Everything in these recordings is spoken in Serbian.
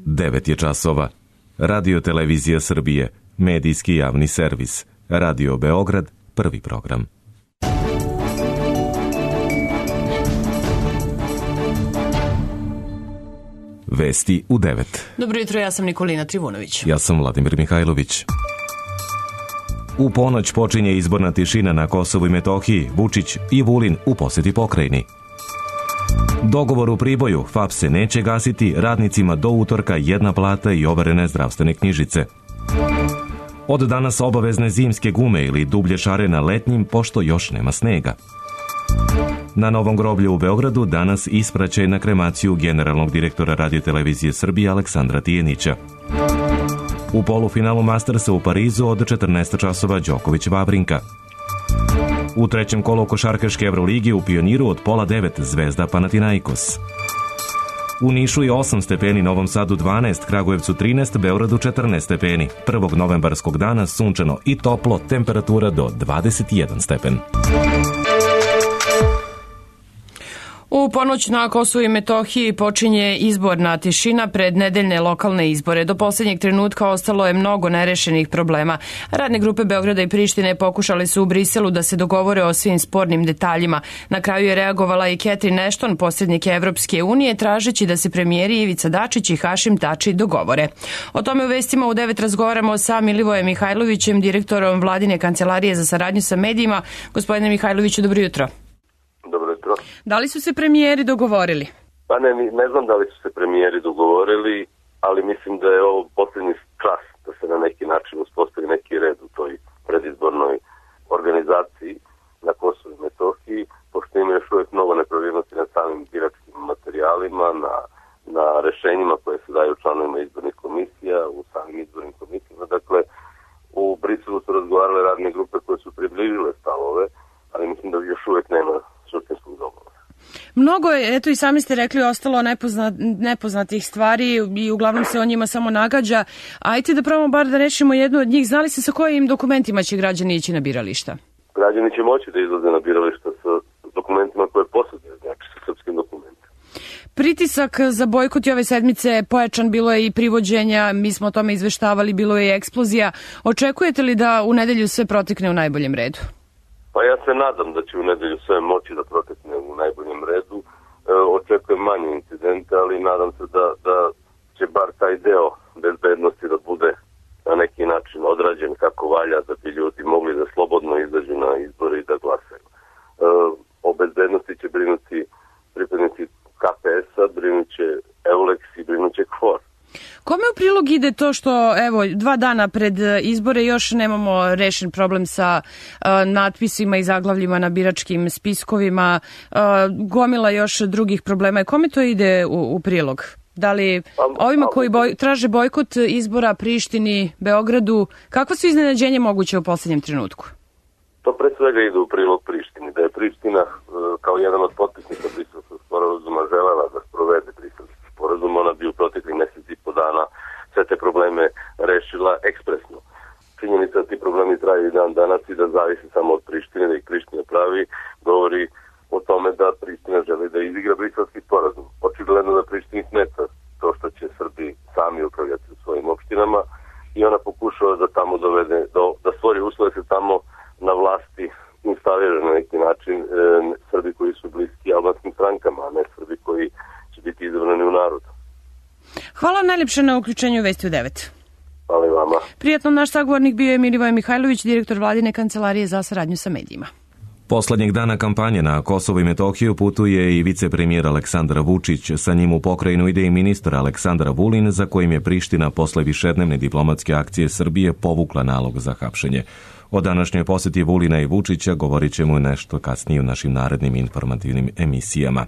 9 je časova. Radio Televizija Srbije, medijski javni servis. Radio Beograd, prvi program. Vesti u 9. Dobro jutro, ja sam Nikolina Trivunović. Ja sam Vladimir Mihajlović. U ponoć počinje izborna tišina na Kosovu i Metohiji. Vučić i Vulin u poseti pokrajini. Dogovor u Priboju, FAP se neće gasiti, radnicima do utorka jedna plata i overene zdravstvene knjižice. Od danas obavezne zimske gume ili dublje šare na letnjim, pošto još nema snega. Na Novom groblju u Beogradu danas ispraćaj na kremaciju generalnog direktora Radio-televizije Srbije Aleksandra Tijenića. U polufinalu Mastersa u Parizu od 14 časova Đoković-Vavrinka. U trećem kolu košarkaške Evroligi u Pioniru od 8:30 Zvezda Panathinaikos. U Nišu je 8 stepeni, Novom Sadu 12, Kragujevcu 13, Beogradu 14 stepeni. 1. novembarskog dana sunčano i toplo, temperatura do 21 stepen. U ponoć na Kosovu i Metohiji počinje izborna tišina pred nedeljne lokalne izbore. Do posljednjeg trenutka ostalo je mnogo nerešenih problema. Radne grupe Beograda i Prištine pokušali su u Briselu da se dogovore o svim spornim detaljima. Na kraju je reagovala i Catherine Ashton, posrednik Evropske unije, tražeći da se premijeri Ivica Dačić i Hašim Tači dogovore. O tome u vestima u 9 razgovaramo sa Milivojem Mihajlovićem, direktorom Vladine kancelarije za saradnju sa medijima. Gospodine Mihajloviću, dobro jutro. Dobro jutro. Da li su se premijeri dogovorili? Pa ne znam da li su se premijeri dogovorili, ali mislim da je ovo posljednji čas da se na neki način uspostavi neki red u toj predizbornoj organizaciji na Kosovu i Metohiji, pošto ima još uvijek mnogo nepravilnosti na samim biračkim materijalima, na rešenjima koje se daju članovima izbornih komisija, u samim izbornim komisijama. Dakle, u Briselu su razgovarale radne grupe koje su približile stavove, ali mislim da još uvijek nema suštinskog dogovora. Mnogo je, eto i sami ste rekli, ostalo nepoznatih stvari i uglavnom se o njima samo nagađa. Ajde da probamo bar da rešimo jednu od njih. Znali ste sa kojim dokumentima će građani ići na birališta? Građani će moći da izlaze na birališta sa dokumentima koje posjeduju, znači sa srpskim dokumentima. Pritisak za bojkot i ove sedmice pojačan, bilo je i privođenja, mi smo o tome izveštavali, bilo je i eksplozija. Očekujete li da u nedelju sve protekne u najboljem redu? Pa ja se nadam da će u nedelju sve moći da protekne u najboljem redu. Očekujem manje incidente, ali nadam se da će bar taj deo bezbednosti da bude na neki način odrađen kako valja, da bi ljudi mogli da slobodno izađu na izbore i da glasaju. O bezbednosti će brinuti pripadnici KPS-a, brinut će Eulex i brinut će KFOR. Kome u prilog ide to što, evo, 2 dana pred izbore još nemamo rešen problem sa natpisima i zaglavljima na biračkim spiskovima, gomila još drugih problema. Kome to ide u prilog? Da li ovima koji traže bojkot izbora Prištini, Beogradu, kakva su iznenađenje moguće u posljednjem trenutku? To pre svega ide u prilog Prištini. Da je Priština kao jedan od potpisnika Briselskog sporazuma želela da sprovede Briselski sporazum, ona bi u proteklih mjesec i po dana sve te probleme rešila ekspresno. Činjenica da ti problemi traju i dan danas i da zavisi samo od Prištine, da ih Priština pravi, govori o tome da Priština želi da izigra Briselski sporazum. Očigledno da Prištini smeta to što će Srbi sami upravljati u svojim opštinama i ona pokušava da tamo dovede, da stvori uslove se tamo na vlasti instalira na neki način Srbi koji su bliski albanskim strankama, a ne Srbi koji će biti izabrani u narodu. Hvala najljepše na uključenju Vesti u 9. Hvala i vama. Prijatno, naš sagovornik bio je Milivoj Mihajlović, direktor Vladine kancelarije za saradnju sa medijima. Poslednjeg dana kampanje na Kosovo i Metohiju putuje i vicepremijer Aleksandar Vučić. Sa njim u pokrajinu ide i ministar Aleksandar Vulin, za kojim je Priština posle višednevne diplomatske akcije Srbije povukla nalog za hapšenje. O današnjoj posjeti Vulina i Vučića govorit ćemo nešto kasnije u našim narednim informativnim emisijama.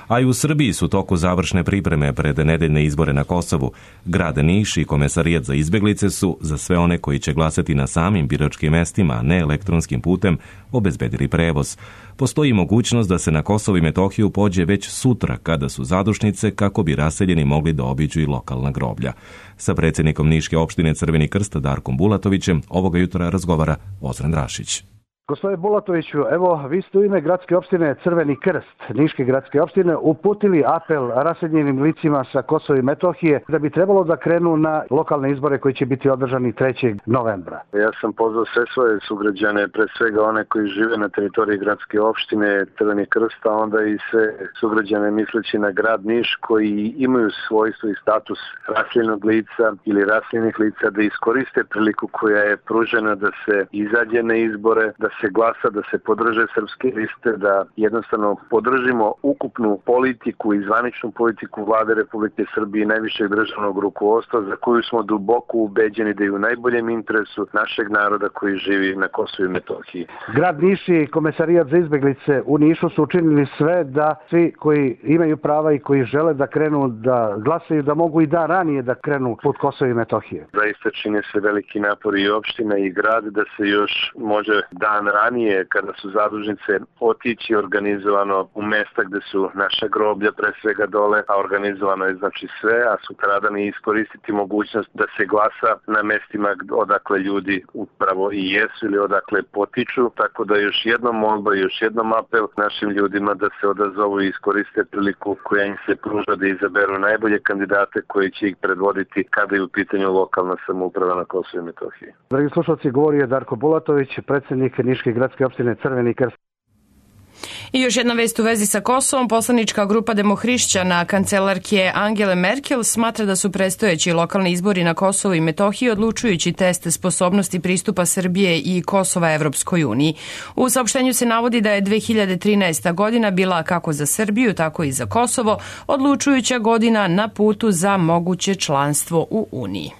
A i u Srbiji su toku završne pripreme pred nedeljne izbore na Kosovu. Grad Niš i Komesarijat za izbeglice su, za sve one koji će glasati na samim biračkim mestima, a ne elektronskim putem, obezbedili prevoz. Postoji mogućnost da se na Kosovo i Metohiju pođe već sutra, kada su zadušnice, kako bi raseljeni mogli da obiđu i lokalna groblja. Sa predsjednikom Niške opštine Crveni krst Darkom Bulatovićem ovoga jutra razgovara Ozren Rašić. Gospodine Bulatoviću, evo vi ste u ime gradske opštine Crveni krst, Niške gradske opštine, uputili apel raseljenim licima sa Kosova i Metohije da bi trebalo da krenu na lokalne izbore koji će biti održani 3. novembra. Ja sam pozvao sve svoje sugrađane, pre svega one koji žive na teritoriji gradske opštine Crveni krst, a onda i sve sugrađane misleći na grad Niš koji imaju svojstvo i status raseljenog lica ili raseljenih lica da iskoriste priliku koja je pružena da se izađe na izbore, da se glasa, da se podrže srpske liste, da jednostavno podržimo ukupnu politiku i zvaničnu politiku Vlade Republike Srbije i najvišeg državnog rukovodstva za koju smo duboko ubeđeni da je u najboljem interesu našeg naroda koji živi na Kosovu i Metohiji. Grad Niš i Komesarijat za izbeglice u Nišu su učinili sve da svi koji imaju prava i koji žele da krenu da glasaju, da mogu i dan ranije da krenu put Kosova i Metohije. Zaista čine se veliki napori i opština i grad da se još može dan ranije kada su zadužnice otići organizovano u mesta gde su naša groblja pre svega dole, a organizovano je znači sve, a sutradan i iskoristiti mogućnost da se glasa na mestima odakle ljudi upravo i jesu ili odakle potiču, tako da još jednom molba i još jednom apel našim ljudima da se odazovu i iskoriste priliku koja im se pruža da izaberu najbolje kandidate koji će ih predvoditi kada je u pitanju lokalna samouprava na Kosovu i Metohiji. Dragi slušalci, govori je Darko Bulatović, predsjednik Niške gradske opštine Crveni krst. I još jedna vest u vezi sa Kosovom. Poslanička grupa demohrišćana kancelarke Angele Merkel smatra da su predstojeći lokalni izbori na Kosovu i Metohiji odlučujući test sposobnosti pristupa Srbije i Kosova Evropskoj uniji. U saopštenju se navodi da je 2013. godina bila kako za Srbiju, tako i za Kosovo odlučujuća godina na putu za moguće članstvo u Uniji.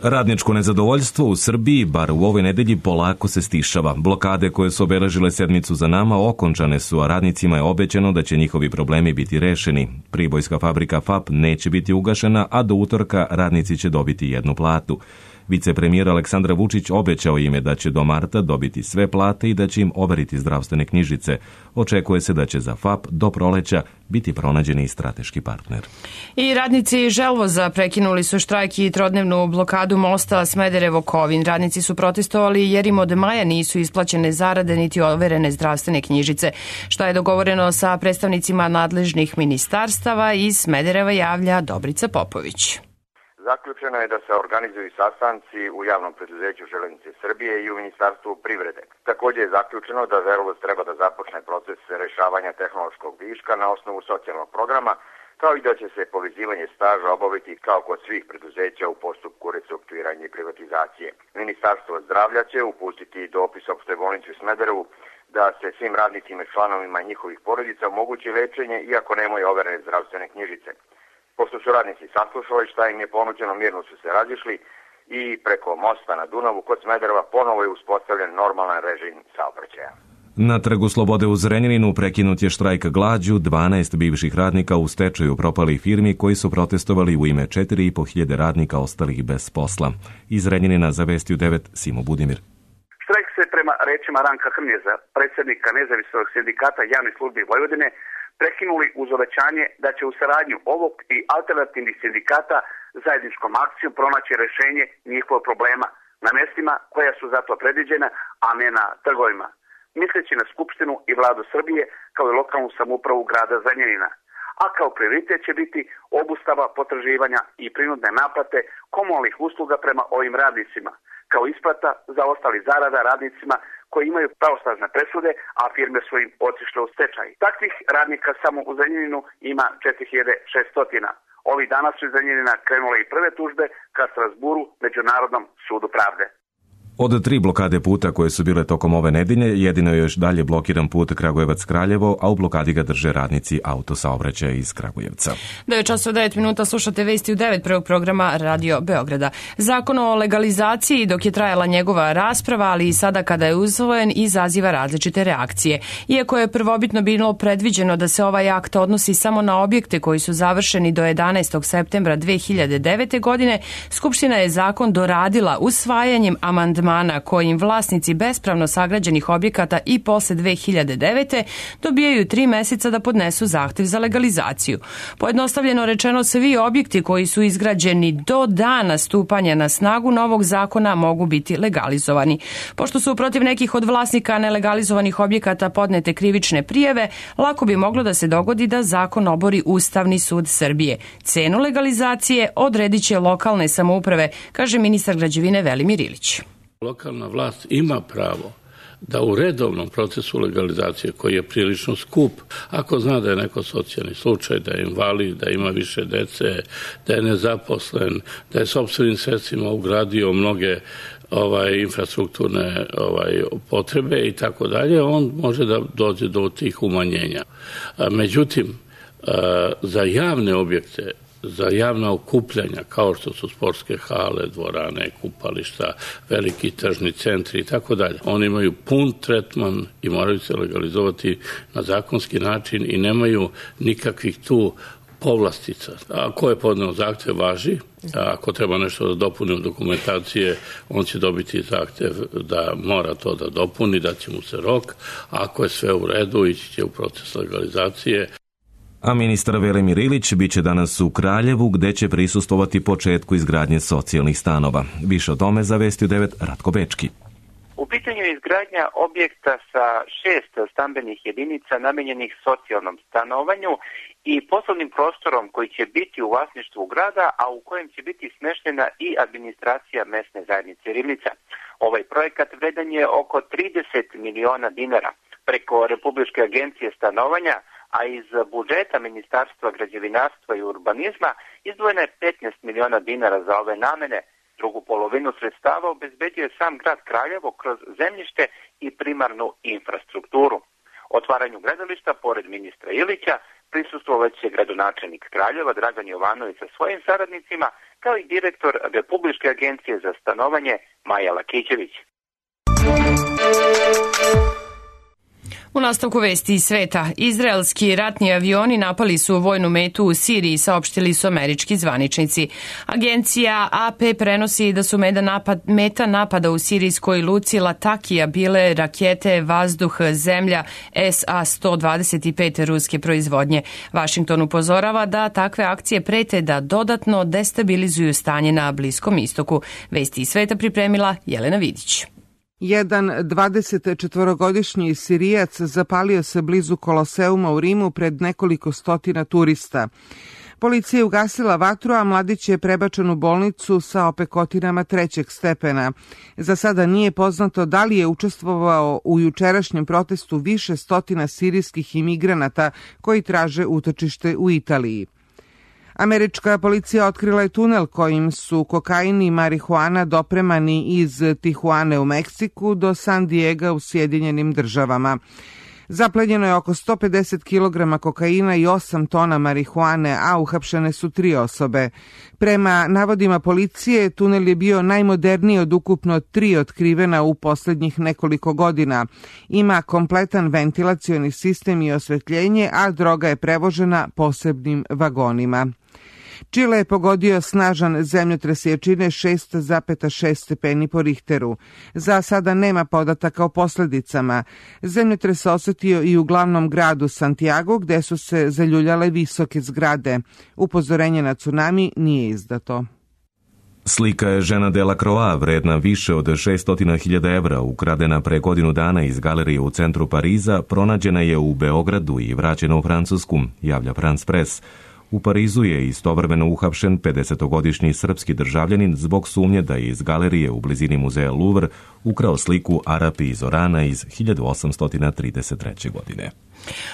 Radničko nezadovoljstvo u Srbiji, bar u ovoj nedelji, polako se stišava. Blokade koje su obeležile sedmicu za nama okončane su, a radnicima je obećano da će njihovi problemi biti rešeni. Pribojska fabrika FAP neće biti ugašena, a do utorka radnici će dobiti jednu platu. Vicepremijer Aleksandar Vučić obećao im je da će do marta dobiti sve plate i da će im overiti zdravstvene knjižice. Očekuje se da će za FAP do proleća biti pronađeni i strateški partner. I radnici Želvoza prekinuli su štrajk i trodnevnu blokadu mosta Smederevo-Kovin. Radnici su protestovali jer im od maja nisu isplaćene zarade niti overene zdravstvene knjižice. Šta je dogovoreno sa predstavnicima nadležnih ministarstava, iz Smedereva javlja Dobrica Popović. Zaključeno je da se organizuju sastanci u javnom preduzeću Železnice Srbije i u Ministarstvu privrede. Također je zaključeno da Želvoz treba da započne proces rešavanja tehnološkog viška na osnovu socijalnog programa, kao i da će se povezivanje staža obaviti kao kod svih preduzeća u postupku restrukturiranja i privatizacije. Ministarstvo zdravlja će upustiti dopis opštoj bolnici u Smederevu da se svim radnicima i članovima njihovih porodica omogući lečenje iako nemaju overene zdravstvene knjižice. Pošto su radnici saslušali šta im je ponuđeno, mirno su se razišli i preko mosta na Dunavu kod Smedereva ponovo je uspostavljen normalan režim saobraćaja. Na Trgu Slobode u Zrenjaninu prekinut je štrajk glađu 12 bivših radnika u stečaju propalih firmi koji su protestovali u ime 4.500 radnika ostalih bez posla. Iz Zrenjanina za Vesti u 9 Simo Budimir. Štrajk se prema rečima Ranka Hrnjeza, predsjednika Nezavisnog sindikata javnih službi Vojvodine, prekinuli uz obećanje da će u saradnju ovog i alternativnih sindikata zajedničkom akcijom pronaći rješenje njihovog problema na mjestima koja su zato predviđena, a ne na trgovima, misleći na Skupštinu i Vladu Srbije kao i lokalnu samoupravu grada Zrenjanina. A kao prioritet će biti obustava potraživanja i prinudne naplate komunalnih usluga prema ovim radnicima, kao isplata za ostali zarada radnicima koji imaju pravosnažne presude, a firme su im otišle u stečaj. Takvih radnika samo u Zrenjaninu ima 4600. Ovih dana su iz Zrenjanina krenule i prve tužbe ka Strasburu, Međunarodnom sudu pravde. Od 3 blokade puta koje su bile tokom ove nedelje, jedino je još dalje blokiran put Kragujevac-Kraljevo, a u blokadi ga drže radnici autosaobraćaja iz Kragujevca. 9:09, slušate Vesti u 9 prvog programa Radio Beograda. Zakon o legalizaciji, dok je trajala njegova rasprava, ali i sada kada je usvojen, izaziva različite reakcije. Iako je prvobitno bilo predviđeno da se ovaj akt odnosi samo na objekte koji su završeni do 11. septembra 2009. godine, Skupština je zakon doradila usvajanjem amandmana amandmana kojim vlasnici bespravno sagrađenih objekata i posle 2009. dobijaju 3 meseca da podnesu zahtev za legalizaciju. Pojednostavljeno rečeno, svi objekti koji su izgrađeni do dana stupanja na snagu novog zakona mogu biti legalizovani. Pošto su protiv nekih od vlasnika nelegalizovanih objekata podnete krivične prijeve, lako bi moglo da se dogodi da zakon obori Ustavni sud Srbije. Cenu legalizacije odredit će lokalne samouprave, kaže ministar građevine Velimir Ilić. Lokalna vlast ima pravo da u redovnom procesu legalizacije, koji je prilično skup, ako zna da je neko socijalni slučaj, da je invalid, da ima više dece, da je nezaposlen, da je sopstvenim sredstvima ugradio mnoge infrastrukturne potrebe i tako dalje, on može da dođe do tih umanjenja. Međutim, za javne objekte, za javna okupljanja, kao što su sportske hale, dvorane, kupališta, veliki tržni centri i tako dalje, oni imaju pun tretman i moraju se legalizovati na zakonski način i nemaju nikakvih tu povlastica. Ako je podneo zahtev, važi. Ako treba nešto da dopuni u dokumentacije, on će dobiti zahtev da mora to da dopuni, da će mu se rok. Ako je sve u redu, ići će u proces legalizacije. A ministar Velimir Ilić biće danas u Kraljevu, gde će prisustvovati početku izgradnje socijalnih stanova. Više o tome za Vesti u 9 Ratko Bečki. U pitanju je izgradnja objekta sa 6 stambenih jedinica namenjenih socijalnom stanovanju i poslovnim prostorom koji će biti u vlasništvu grada, a u kojem će biti smeštena i administracija mesne zajednice Rivnica. Ovaj projekat vredan je oko 30 miliona dinara. Preko Republičke agencije stanovanja, a iz budžeta Ministarstva građevinarstva i urbanizma izdvojeno je 15 miliona dinara za ove namene. Drugu polovinu sredstava obezbeđuje sam grad Kraljevo kroz zemljište i primarnu infrastrukturu. Otvaranju gradilišta, pored ministra Ilića, prisustvovaće gradonačelnik Kraljeva Dragan Jovanović sa svojim saradnicima, kao i direktor Republičke agencije za stanovanje Maja Lakićević. U nastavku vesti iz sveta, izraelski ratni avioni napali su vojnu metu u Siriji, saopštili su američki zvaničnici. Agencija AP prenosi da su meta napada u sirijskoj luci Latakija bile rakete vazduh-zemlja SA-125 ruske proizvodnje. Washington upozorava da takve akcije prete da dodatno destabilizuju stanje na Bliskom istoku. Vesti iz sveta pripremila Jelena Vidić. Jedan 24-godišnji Sirijac zapalio se blizu Koloseuma u Rimu pred nekoliko stotina turista. Policija je ugasila vatru, a mladić je prebačen u bolnicu sa opekotinama 3. stepena. Za sada nije poznato da li je učestvovao u jučerašnjem protestu više stotina sirijskih imigranata koji traže utočište u Italiji. Američka policija otkrila je tunel kojim su kokain i marihuana dopremani iz Tijuane u Meksiku do San Diega u Sjedinjenim Državama. Zaplenjeno je oko 150 kg kokaina i 8 tona marihuane, a uhapšene su 3 osobe. Prema navodima policije, tunel je bio najmoderniji od ukupno 3 otkrivena u poslednjih nekoliko godina. Ima kompletan ventilacioni sistem i osvetljenje, a droga je prevožena posebnim vagonima. Čile je pogodio snažan zemljotres jačine 6,6 stepeni po Richteru. Za sada nema podataka o posledicama. Zemljotres se osetio i u glavnom gradu Santiago, gde su se zaljuljale visoke zgrade. Upozorenje na tsunami nije izdato. Slika je Žena Delacroix, vredna više od 600.000 evra, ukradena pre godinu dana iz galerije u centru Pariza, pronađena je u Beogradu i vraćena u Francusku, javlja France Press. U Parizu je istovremeno uhapšen 50-godišnji srpski državljanin zbog sumnje da je iz galerije u blizini muzeja Louvre ukrao sliku Arapi iz Orana iz 1833. godine.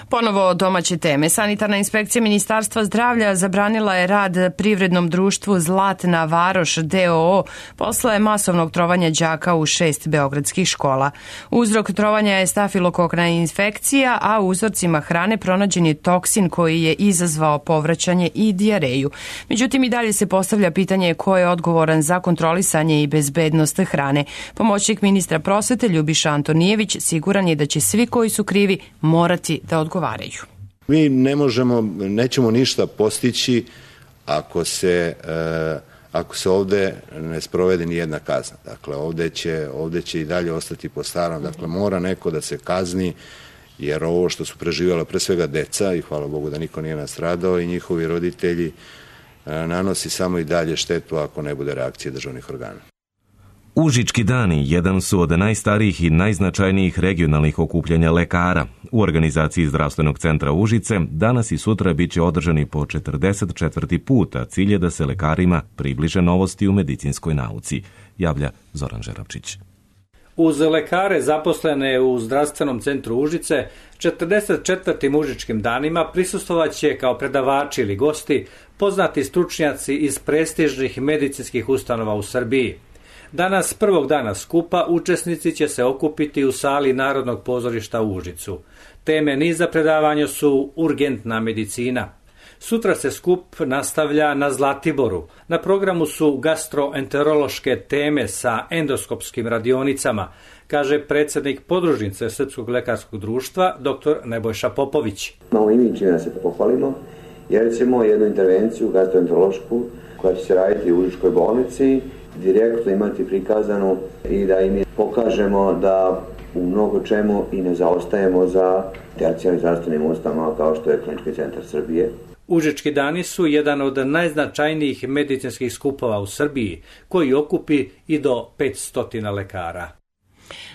Ponovo domaće teme. Sanitarna inspekcija Ministarstva zdravlja zabranila je rad privrednom društvu Zlatna Varoš d.o.o. posle masovnog trovanja đaka u 6 beogradskih škola. Uzrok trovanja je stafilokokna infekcija, a u uzorcima hrane pronađen je toksin koji je izazvao povraćanje i dijareju. Međutim, i dalje se postavlja pitanje ko je odgovoran za kontrolisanje i bezbednost hrane. Pomoćnik ministra prosvete Ljubiša Antonijević siguran je da će svi koji su krivi morati da odgovaraju. Mi nećemo ništa postići ako se ovde ne sprovede ni jedna kazna. Dakle, ovde će i dalje ostati po starom. Dakle, mora neko da se kazni, jer ovo što su preživjela pre svega deca, i hvala Bogu da niko nije nastradao, i njihovi roditelji, nanosi samo i dalje štetu ako ne bude reakcije državnih organa. Užički dani jedan su od najstarijih i najznačajnijih regionalnih okupljanja lekara. U organizaciji Zdravstvenog centra Užice danas i sutra bit će održani po 44. puta. Cilj je da se lekarima približe novosti u medicinskoj nauci, javlja Zoran Žerapčić. Uz lekare zaposlene u Zdravstvenom centru Užice, 44. Užičkim danima prisustvovaće kao predavači ili gosti poznati stručnjaci iz prestižnih medicinskih ustanova u Srbiji. Danas, prvog dana skupa, učesnici će se okupiti u sali Narodnog pozorišta u Užicu. Teme niza predavanja su urgentna medicina. Sutra se skup nastavlja na Zlatiboru. Na programu su gastroenterološke teme sa endoskopskim radionicama, kaže predsjednik podružnice Srpskog lekarskog društva, dr. Nebojša Popović. Malo i mi čini da se pohvalimo, jer ćemo jednu intervenciju gastroenterološku koja će se raditi u Užičkoj bolnici direktno imati prikazanu i da im pokažemo da u mnogo čemu i ne zaostajemo za tercijarnim zdravstvenim ustanovama kao što je Klinički centar Srbije. Užički dani su jedan od najznačajnijih medicinskih skupova u Srbiji, koji okupi i do 500 lekara.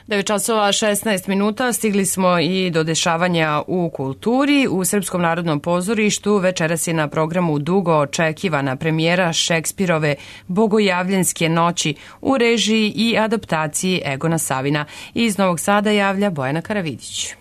9:16 stigli smo i do dešavanja u kulturi. U Srpskom narodnom pozorištu večeras je na programu dugo očekivana premijera Šekspirove Bogojavljanske noći u režiji i adaptaciji Egona Savina. Iz Novog Sada javlja Bojana Karavidić.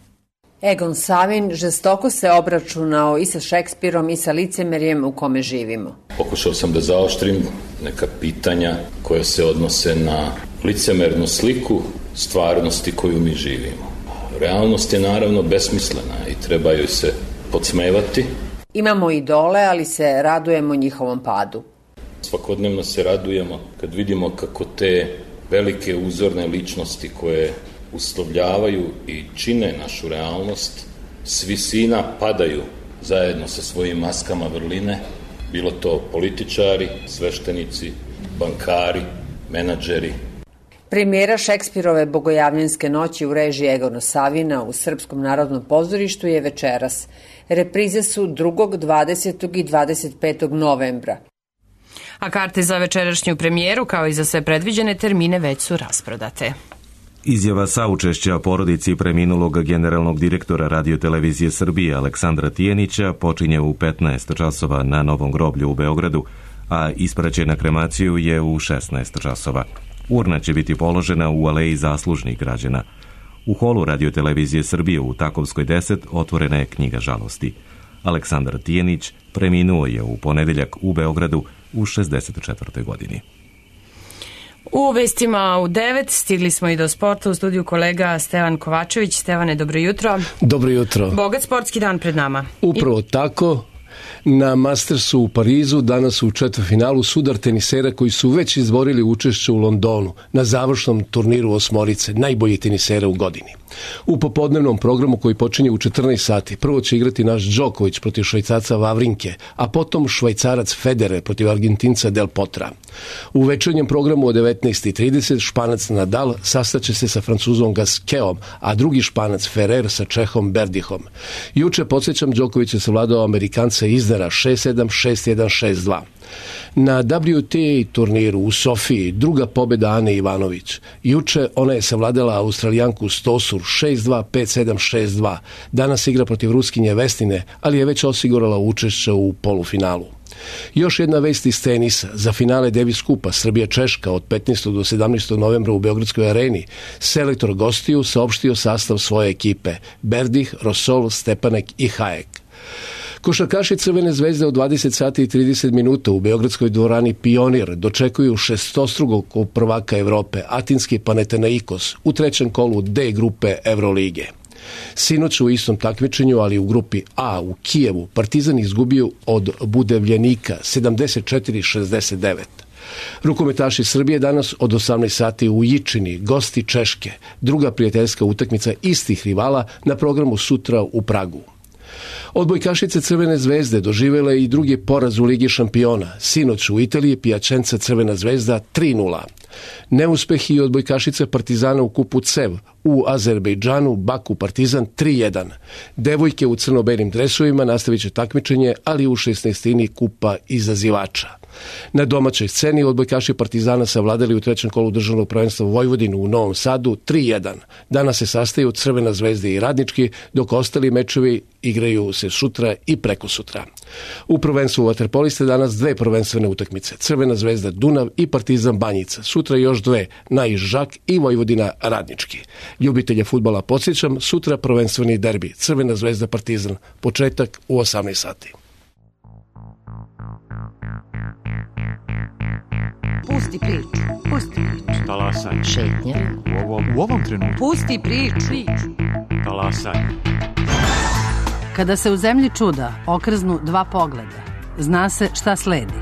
Egon Savin žestoko se obračunao i sa Šekspirom i sa licemerjem u kome živimo. Pokušao sam da zaoštrim neka pitanja koja se odnose na licemernu sliku stvarnosti koju mi živimo. Realnost je naravno besmislena i treba joj se podsmevati. Imamo idole, ali se radujemo njihovom padu. Svakodnevno se radujemo kad vidimo kako te velike uzorne ličnosti koje uslovljavaju i čine našu realnost s visina padaju zajedno sa svojim maskama vrline, bilo to političari, sveštenici, bankari, menadžeri. Premijera Šekspirove Bogojavljanske noći u režiji Egona Savina u Srpskom narodnom pozorištu je večeras. Reprize su 2., 20. i 25. novembra. A karte za večerašnju premijeru, kao i za sve predviđene termine, već su rasprodate. Izjava saučešća porodici preminulog generalnog direktora radiotelevizije Srbije Aleksandra Tijenića počinje u 15 časova na Novom groblju u Beogradu, a ispraćaj na kremaciju je u 16 časova. Urna će biti položena u aleji zaslužnih građana. U holu radiotelevizije Srbije u Takovskoj 10 otvorena je knjiga žalosti. Aleksandar Tijenić preminuo je u ponedeljak u Beogradu u 64. godini. U vestima u 9 stigli smo i do sporta. U studiju kolega Stevan Kovačević. Stevane, dobro jutro. Dobro jutro. Bogat sportski dan pred nama. Upravo tako. Na Mastersu u Parizu danas u četvrtfinalu sudar tenisera koji su već izborili učešće u Londonu na završnom turniru osmorice, najbolji tenisera u godini. U popodnevnom programu koji počinje u 14 sati prvo će igrati naš Đoković protiv Švajcarca Vavrinke, a potom Švajcarac Federer protiv Argentinca Del Potra. U večernjem programu od 19:30 Španac Nadal sastaće se sa Francuzom Gasqueom, a drugi Španac Ferrer sa Čehom Berdihom. Juče, podsjećam, Đoković je savladao Amerikanca Iznera 6-7, 6-1, 6-2. Na WTA turniru u Sofiji druga pobjeda Ane Ivanović. Juče ona je savladala Australijanku Stosur 6-2, 5-7, 6-2. Danas igra protiv Ruskinje Vestine, ali je već osigurala učešće u polufinalu. Još jedna vest iz tenisa. Za finale Davis Kupa Srbija-Češka od 15. do 17. novembra u Beogradskoj areni selektor gostiju saopštio sastav svoje ekipe: Berdih, Rosol, Stepanek i Hajek. Košarkaši Crvene zvezde od 20 sati i 30 minuta u beogradskoj dvorani Pionir dočekuju šestostrukog prvaka Evrope, atinski Panathinaikos, u trećem kolu D grupe Evrolige. Sinoć u istom takmičenju, ali u grupi A u Kijevu, Partizan izgubio od Budevljenika 74-69. Rukometaši Srbije danas od 18 sati u Jičini, gosti Češke, druga prijateljska utakmica istih rivala na programu sutra u Pragu. Odbojkašice Crvene zvezde doživjele i drugi poraz u Ligi šampiona. Sinoć u Italiji Piacenza Crvena zvezda 3:0. Neuspeh i odbojkašice Partizana u kupu CEV u Azerbejdžanu Baku Partizan 3:1. Devojke u crno-belim dresovima nastavit će takmičenje, ali u 16. kupa izazivača. Na domaćoj sceni odbojkaši Partizana savladali u trećem kolu državnog prvenstva Vojvodinu u Novom Sadu 3:1. Danas se sastaju Crvena zvezda i Radnički, dok ostali mečevi igraju se sutra i prekosutra. U prvenstvu vaterpoliste danas dve prvenstvene utakmice. Crvena zvezda Dunav i Partizan Banjica. Sutra još dve, Naiš Žak i Vojvodina Radnički. Ljubitelje fudbala podsjećam, sutra prvenstveni derbi. Crvena zvezda Partizan. Početak u 18 sati. Pusti priču. Pusti priču. Talasaj. Šetnja. U ovom trenutku. Pusti priču. Talasaj. Kada se u zemlji čuda okrznu dva pogleda, zna se šta sledi.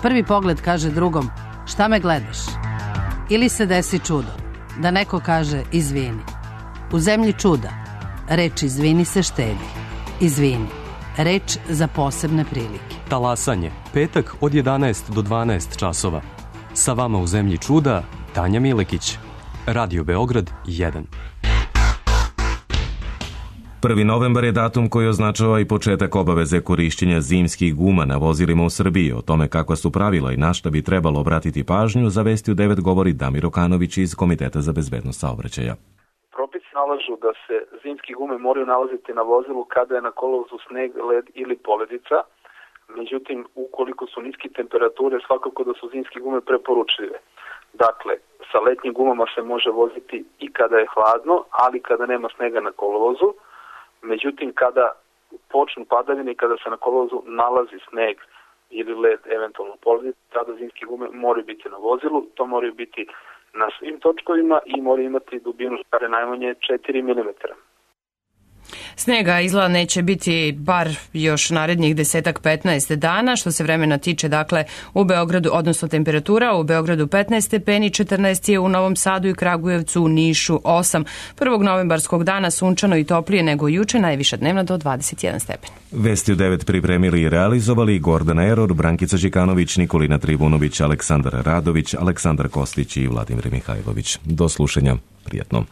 Prvi pogled kaže drugom, šta me gledaš? Ili se desi čudo, da neko kaže izvini. U zemlji čuda, reč izvini se štedi. Izvini, reč za posebne prilike. Talasanje, petak od 11 do 12 časova. Sa vama u zemlji čuda, Tanja Milekić. Radio Beograd 1. 1. novembar je datum koji označava i početak obaveze korišćenja zimskih guma na vozilima u Srbiji. O tome kakva su pravila i na šta bi trebalo obratiti pažnju, za Vesti u 9 govori Damir Okanović iz Komiteta za bezbednost saobraćaja. Propisi nalažu da se zimske gume moraju nalaziti na vozilu kada je na kolovozu sneg, led ili poledica. Međutim, ukoliko su niske temperature, svakako da su zimske gume preporučljive. Dakle, sa letnjim gumama se može voziti i kada je hladno, ali kada nema snega na kolovozu. Međutim, kada počnu padavine i kada se na kolovozu nalazi sneg ili led, eventualno poledica, tada zimske gume moraju biti na vozilu. To moraju biti na svim točkovima i moraju imati dubinu škare najmanje 4 mm. Snega izgleda neće biti bar još narednih 10-15 dana. Što se vremena tiče, dakle, u Beogradu, odnosno temperatura, u Beogradu 15 stepeni, 14 je u Novom Sadu i Kragujevcu, u Nišu 8. 1. novembarskog dana sunčano i toplije nego juče, najviša dnevna do 21 stepen. Vesti u 9 pripremili i realizovali Gordana Eror, Brankica Đikanović, Nikolina Trivunović, Aleksandar Radović, Aleksandar Kostić i Vladimir Mihajlović. Do slušanja. Prijetno.